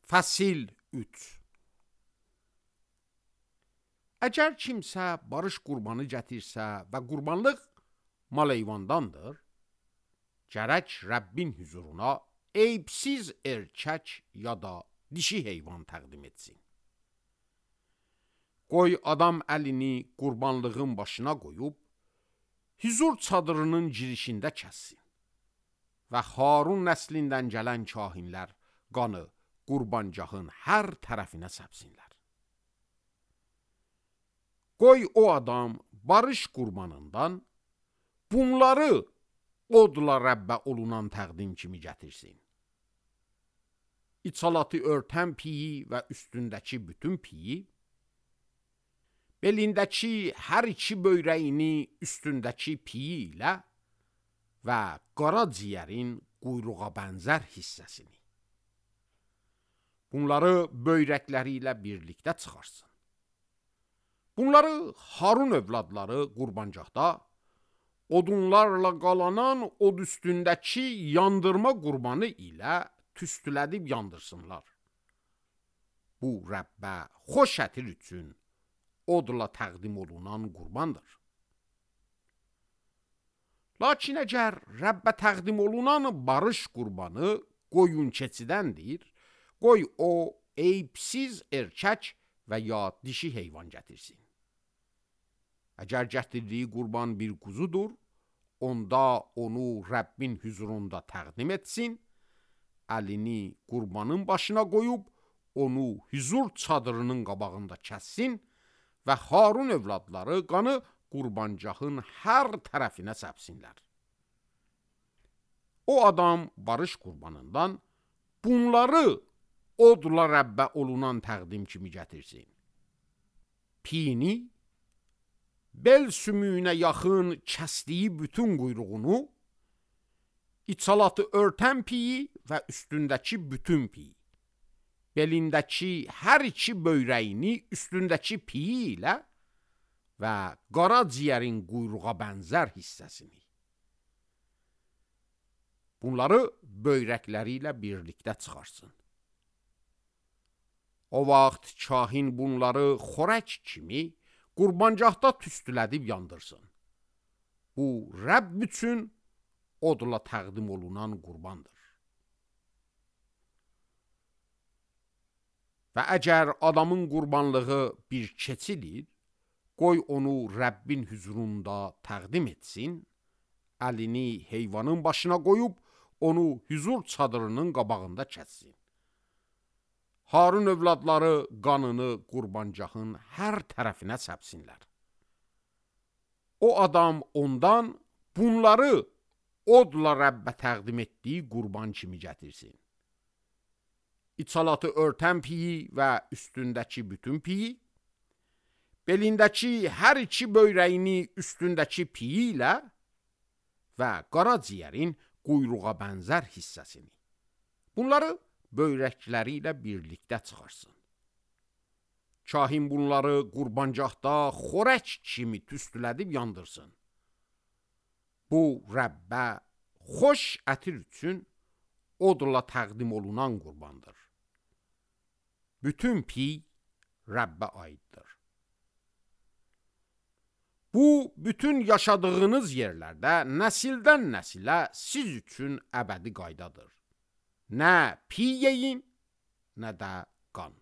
Fəsil 3. Əgər kimsə barış qurbanı gətirsə və qurbanlıq mal heyvandandır, gərək Rəbbin huzuruna eybsiz erkək ya da dişi heyvan təqdim etsin. Qoy adam əlini qurbanlığın başına qoyub, huzur çadırının girişində kəssin və Harun nəslindən gələn kahinlər qanı qurbancağın hər tərəfinə səpsinlər. Qoy o adam barış qurbanından bunları odla Rəbbə olunan təqdim kimi gətirsin. İçalatı örtən piyi və üstündəki bütün piyi, belindəki hər iki böyrəyini üstündəki piyi ilə və qara ciyərin quyruğa bənzər hissəsini. Bunları böyrəkləri ilə birlikdə çıxarsın. Bunları Harun övladları qurbancaqda odunlarla qalanan od üstündəki yandırma qurbanı ilə tüstülədib yandırsınlar. Bu Rəbbə xoş ətir üçün odla təqdim olunan qurbandır. Lakin əgər Rəbbə təqdim olunan barış qurbanı qoyun keçidəndir, qoy o eybsiz erkək və ya dişi heyvan gətirsin. Əgər gətirdiyi qurban bir quzudur, onda onu Rəbbin huzurunda təqdim etsin, əlini qurbanın başına qoyub, onu huzur çadırının qabağında kəssin və Harun övladları qanı qurbancağın hər tərəfinə səpsinlər. O adam barış qurbanından bunları odla Rəbbə olunan təqdim kimi gətirsin. Piyini, bel sümüyünə yaxın kəsdiyi bütün quyruğunu, içalatı örtən piyi və üstündəki bütün piyi, belindəki hər iki böyrəyini üstündəki piyi ilə və qara ciyərin quyruğa bənzər hissəsini. Bunları böyrəkləri ilə birlikdə çıxarsın. O vaxt kahin bunları xorək kimi qurbancaqda tüstülədib yandırsın. Bu Rəbb üçün odla təqdim olunan qurbandır. Və əgər adamın qurbanlığı bir keçidir, qoy onu Rəbbin huzurunda təqdim etsin, əlini heyvanın başına qoyub, onu huzur çadırının qabağında kəssin. Harun övladları qanını qurbancağın hər tərəfinə səpsinlər. O adam ondan bunları odla Rəbbə təqdim etdiyi qurban kimi gətirsin. İçalatı örtən piyi və üstündəki bütün piyi, belindəki hər iki böyrəyini üstündəki piyi ilə və qara ciyərin quyruğa bənzər hissəsini. Bunları böyrəkləri ilə birlikdə çıxarsın. Kahin bunları qurbancaqda xorək kimi tüstülədib yandırsın. Bu Rəbbə xoş ətir üçün odla təqdim olunan qurbandır. Bütün piy Rəbbə aiddir. Bu, bütün yaşadığınız yerlərdə nəsildən nəsilə siz üçün əbədi qaydadır. Nə piy yeyin, nə də qan.